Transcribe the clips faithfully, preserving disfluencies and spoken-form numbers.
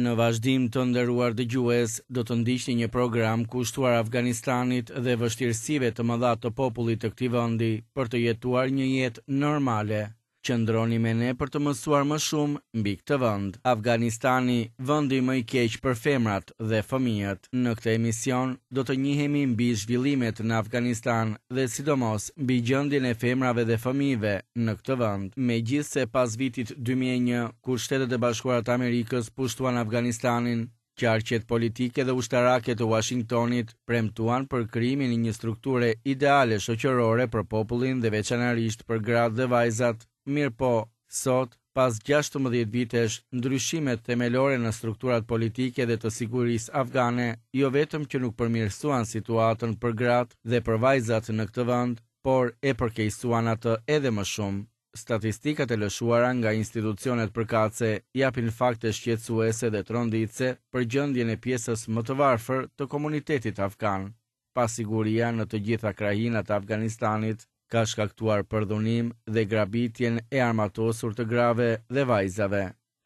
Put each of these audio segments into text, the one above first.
Në vazhdim, të nderuar dëgjues, do të ndiqni një program kushtuar Afganistanit dhe vështirësive të mëdha të popullit të këtij vendi për të jetuar një jetë normale. Qëndroni me ne për të mësuar më shumë mbi këtë vend. Afganistani, vendi më i keq për femrat dhe fëmijët. Në këtë emision do të njihemi mbi zhvillimet në Afganistan dhe sidomos mbi gjendjen e femrave dhe fëmijëve në këtë vend. Megjithëse pas vitit dy mijë e një, kur Shtetet e Bashkuara të Amerikës pushtuan Afganistanin, qarqet politike dhe ushtarake të Washingtonit premtuan për krijimin e një strukture ideale shoqërore për popullin dhe veçanërisht për gratë dhe vajzat. Mirëpo, sot, pas gjashtëmbëdhjetë vitesh, ndryshimet themelore në strukturat politike dhe të sigurisë afgane jo vetëm që nuk përmirësuan situatën për gratë dhe për vajzat në këtë vend, por e përkeqësuan atë edhe më shumë. Statistikat e lëshuara nga institucionet përkatëse japin fakte shqetësuese dhe tronditëse për gjendjen e pjesës më të varfër të komunitetit afgan. Pasiguria në të gjitha krahinat e Afganistanit ka shkaktuar përdhunim dhe grabitjen e armatosur të grave dhe vajzave.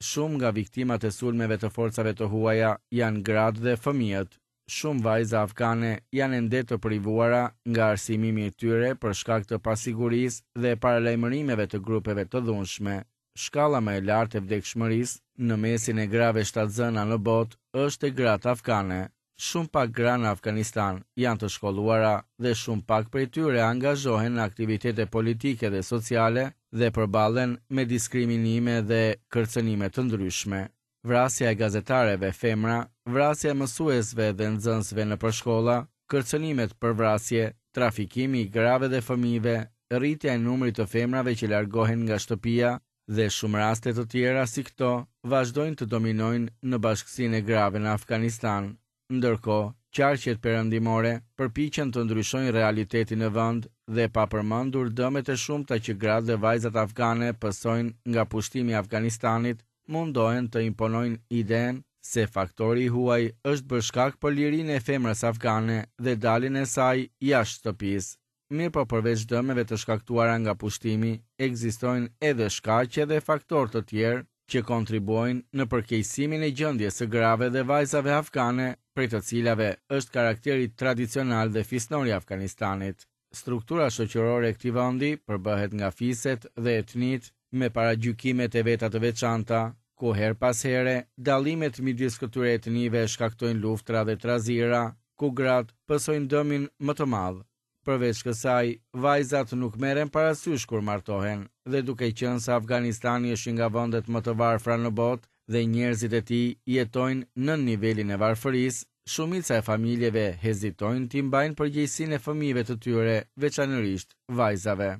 Shumë nga viktimat e sulmeve të forcave të huaja janë gratë dhe fëmijët. Shumë vajza afgane janë ende të privuara nga arsimimi i tyre për shkak të pasigurisë dhe paralajmërimeve të grupeve të dhunshme. Shkalla më e lartë e vdekshmërisë në mesin e grave shtatzëna në botë është e gratë afgane. Shumë pak gra në Afganistan janë të shkolluara dhe shumë pak prej tyre angazhohen në aktivitete politike dhe sociale dhe përballen me diskriminime dhe kërcënime të ndryshme. Vrasja e gazetareve femra, vrasja e mësuesve dhe nxënësve nëpër shkolla, kërcënimet për vrasje, trafikimi i grave dhe fëmijëve, rritja e numrit të femrave që largohen nga shtëpia dhe shumë raste të tjera si këto vazhdojnë të dominojnë në bashkësinë e grave në Afganistan. Ndërkohë, qarqet perëndimore përpiqen të ndryshojnë realitetin në vend dhe pa përmendur dëmet e shumta që gratë dhe vajzat afgane pësojnë nga pushtimi i Afganistanit, mundohen të imponojnë idenë se faktori i huaj është bërë shkak për lirinë e femrës afgane dhe daljen e saj jashtë shtëpisë. Mirëpo përveç dëmeve të shkaktuara nga pushtimi, ekzistojnë edhe shkaqe dhe faktorë të tjerë që kontribuojnë në përkeqësimin e gjendjes së grave dhe vajzave afgane, prej të cilave është karakteri tradicional dhe fisnor i Afganistanit. Struktura shoqërore e këtij vendi përbëhet nga fiset dhe etnit me paragjykimet e veta të veçanta, ku her pas here dallimet midis këtyre etnive shkaktojnë luftra dhe trazira, ku gratë pësojnë dëmin më të madh. Përveç kësaj, vajzat nuk merren parasysh kur martohen, dhe duke qenë se Afganistani është një nga vendet më të varfra në botë dhe njerëzit e tij jetojnë nën nivelin e varfërisë, shumica e familjeve hezitojnë t'i mbajnë përgjegjësinë e fëmijëve të tyre, veçanërisht vajzave.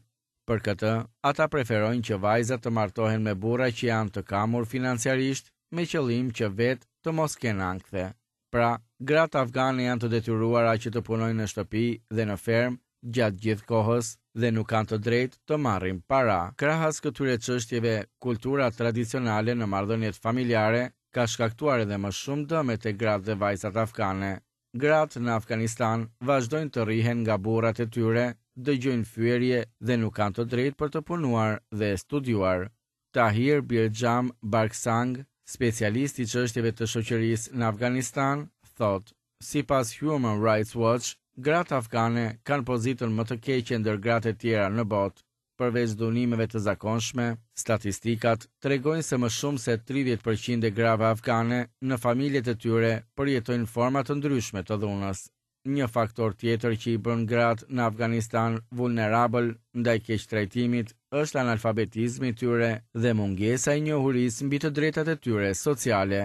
Për këtë, ata preferojnë që vajzat të martohen me burra që janë të kamur financiarisht, me qëllim që vetë të mos kenë ankthe. Pra, gratë afgane janë të detyruara që të punojnë në shtëpi dhe në fermë gjatë gjithë kohës dhe nuk kanë të drejtë të marrin para. Krahas këtyre çështjeve, kultura tradicionale në marrëdhëniet familjare ka shkaktuar edhe më shumë dëme te gratë dhe vajzat afgane. Gratë në Afganistan vazhdojnë të rrihen nga burrat e tyre, dëgjojnë fyerje dhe nuk kanë të drejtë për të punuar dhe studiuar. Tahir Birjam Barksang, specialist i çështjeve të shoqërisë në Afganistan, thotë, sipas Human Rights Watch, gratë afgane kanë pozitën më të keqe ndër gratë e tjera në botë. Përveç dhunimeve të zakonshme, statistikat tregojnë se më shumë se tridhjetë përqind e grave afgane në familjet e tyre përjetojnë forma të ndryshme të dhunës. Një faktor tjetër që i bën gratë në Afganistan vulnerabël ndaj keqtrajtimit është analfabetizmi i tyre dhe mungesa e njohurisë mbi të drejtat e tyre sociale.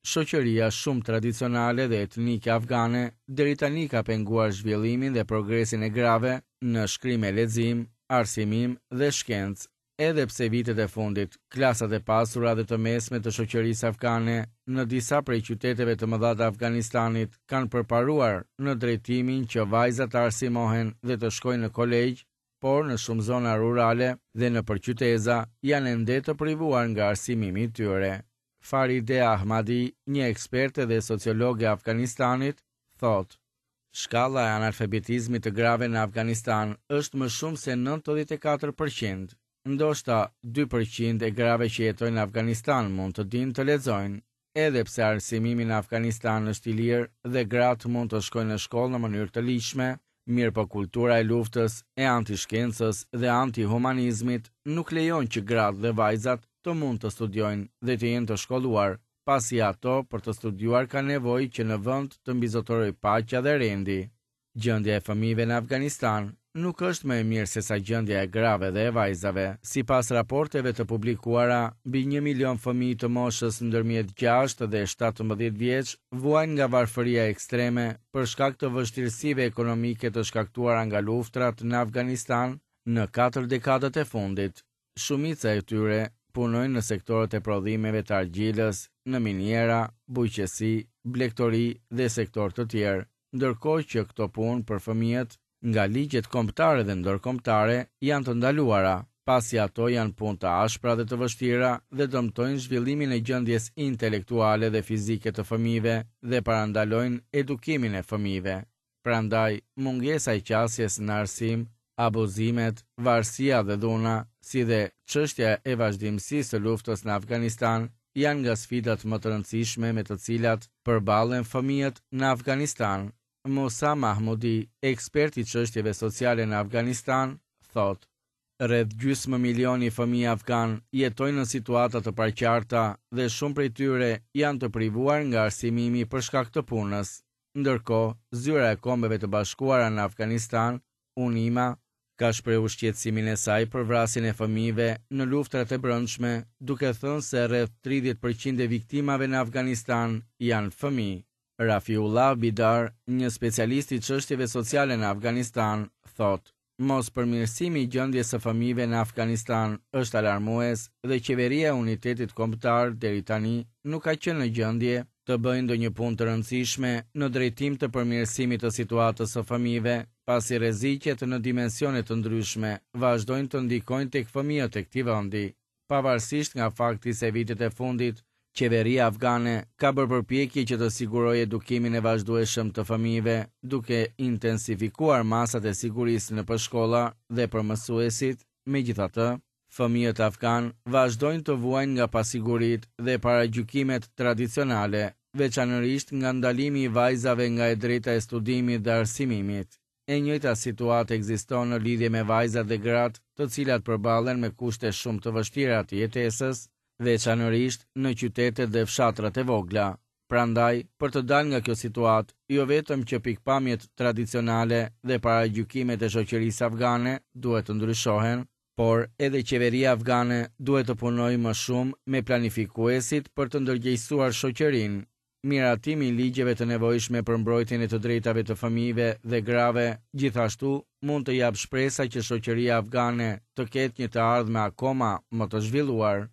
Shoqëria shumë tradicionale dhe etnike afgane deri tani ka penguar zhvillimin dhe progresin e grave në shkrim e lexim, arsimim dhe shkencë. Edhe pse vitet e fundit, klasat e pasura dhe të mesme të shoqërisë afgane në disa prej qyteteve të mëdha të Afganistanit kanë përparuar në drejtimin që vajzat të arsimohen dhe të shkojnë në kolegj, por në shumë zona rurale dhe në përqyteza janë ende të privuar nga arsimimi i tyre. Faride Ahmadi, një eksperte dhe sociologe e Afganistanit, thotë: Shkalla e analfabetizmit të grave në Afganistan është më shumë se nëntëdhjetë e katër përqind. Ndoshta dy përqind e grave që jetojnë në Afganistan mund të dinë të lexojnë. Edhe pse arsimimi në Afganistan është i lirë dhe gratë mund të shkojnë në shkollë në mënyrë të ligjshme, mirëpo kultura e luftës, e antishkencës dhe antihumanizmit nuk lejon që gratë dhe vajzat të mund të studiojnë dhe të jenë të shkolluar, pasi ato për të studiuar kanë nevojë që në vend të mbizotërojë paqja dhe rendi. Gjendja e fëmijëve në Afganistan nuk është më e mirë sesa gjendja e grave dhe e vajzave. Sipas raporteve të publikuara, mbi një milion fëmijë të moshës ndërmjet gjashtë dhe shtatëmbëdhjetë vjeç vuajnë nga varfëria ekstreme për shkak të vështirësive ekonomike të shkaktuara nga luftrat në Afganistan në katër dekadat e fundit. Shumica e tyre punojnë në sektorët e prodhimeve të argjilës, në miniera, bujqësi, blektori dhe sektorë të tjerë, ndërkohë që këto punë për fëmijët nga ligjet kombëtare dhe ndërkombëtare janë të ndaluara, pasi ato janë punë të ashpra dhe të vështira dhe dëmtojnë zhvillimin e gjendjes intelektuale dhe fizike të fëmijëve dhe parandalojnë edukimin e fëmijëve. Prandaj, mungesa e qasjes në arsim, abuzimet, varësia dhe dhuna, si dhe çështja e vazhdimësisë së luftës në Afganistan, janë nga sfidat më të rëndësishme me të cilat përballen fëmijët në Afganistan. Musa Mahmudi, ekspert i çështjeve sociale në Afganistan, thotë: Rreth gjysmë milioni fëmijë afgan jetojnë në situata të paqarta dhe shumë prej tyre janë të privuar nga arsimimi për shkak të punës. Ndërkohë, Zyra e Kombeve të Bashkuara në Afganistan, UNIMA, ka shprehur shqetësimin e saj për vrasjen e fëmijëve në luftrat e brendshme, duke thënë se rreth tridhjetë përqind e viktimave në Afganistan janë fëmijë. Rafiullah Bidar, një specialist i çështjeve sociale në Afganistan, thotë: Mos përmirësimi i gjendjes së fëmijëve në Afganistan është alarmues dhe qeveria e Unitetit Kombëtar deri tani nuk ka qenë në gjendje të bëjë ndonjë punë të rëndësishme në drejtim të përmirësimit të situatës së fëmijëve, pasi rreziqet në dimensione të ndryshme vazhdojnë të ndikojnë tek fëmijët e këtij vendi. Pavarësisht nga fakti se vitet e fundit qeveria afgane ka bërë përpjekje që të sigurojë edukimin e vazhdueshëm të fëmijëve, duke intensifikuar masat e sigurisë nëpër shkolla dhe për mësuesit, megjithatë, fëmijët afgan vazhdojnë të vuajnë nga pasiguritë dhe paragjykimet tradicionale, veçanërisht nga ndalimi i vajzave nga e drejta e studimit dhe arsimimit. E njëjta situatë ekziston në lidhje me vajzat dhe gratë, të cilat përballen me kushte shumë të vështira të jetesës, veçanërisht në qytetet dhe fshatrat e vogla. Prandaj, për të dalë nga kjo situatë, jo vetëm që pikpamjet tradicionale dhe paragjykimet e shoqërisë afgane duhet të ndryshohen, por edhe qeveria afgane duhet të punojë më shumë me planifikuesit për të ndërgjegjësuar shoqërinë. Miratimi i ligjeve të nevojshme për mbrojtjen e të drejtave të fëmijëve dhe grave, gjithashtu mund të japë shpresa që shoqëria afgane të ketë një të ardhme akoma më të zhvilluar.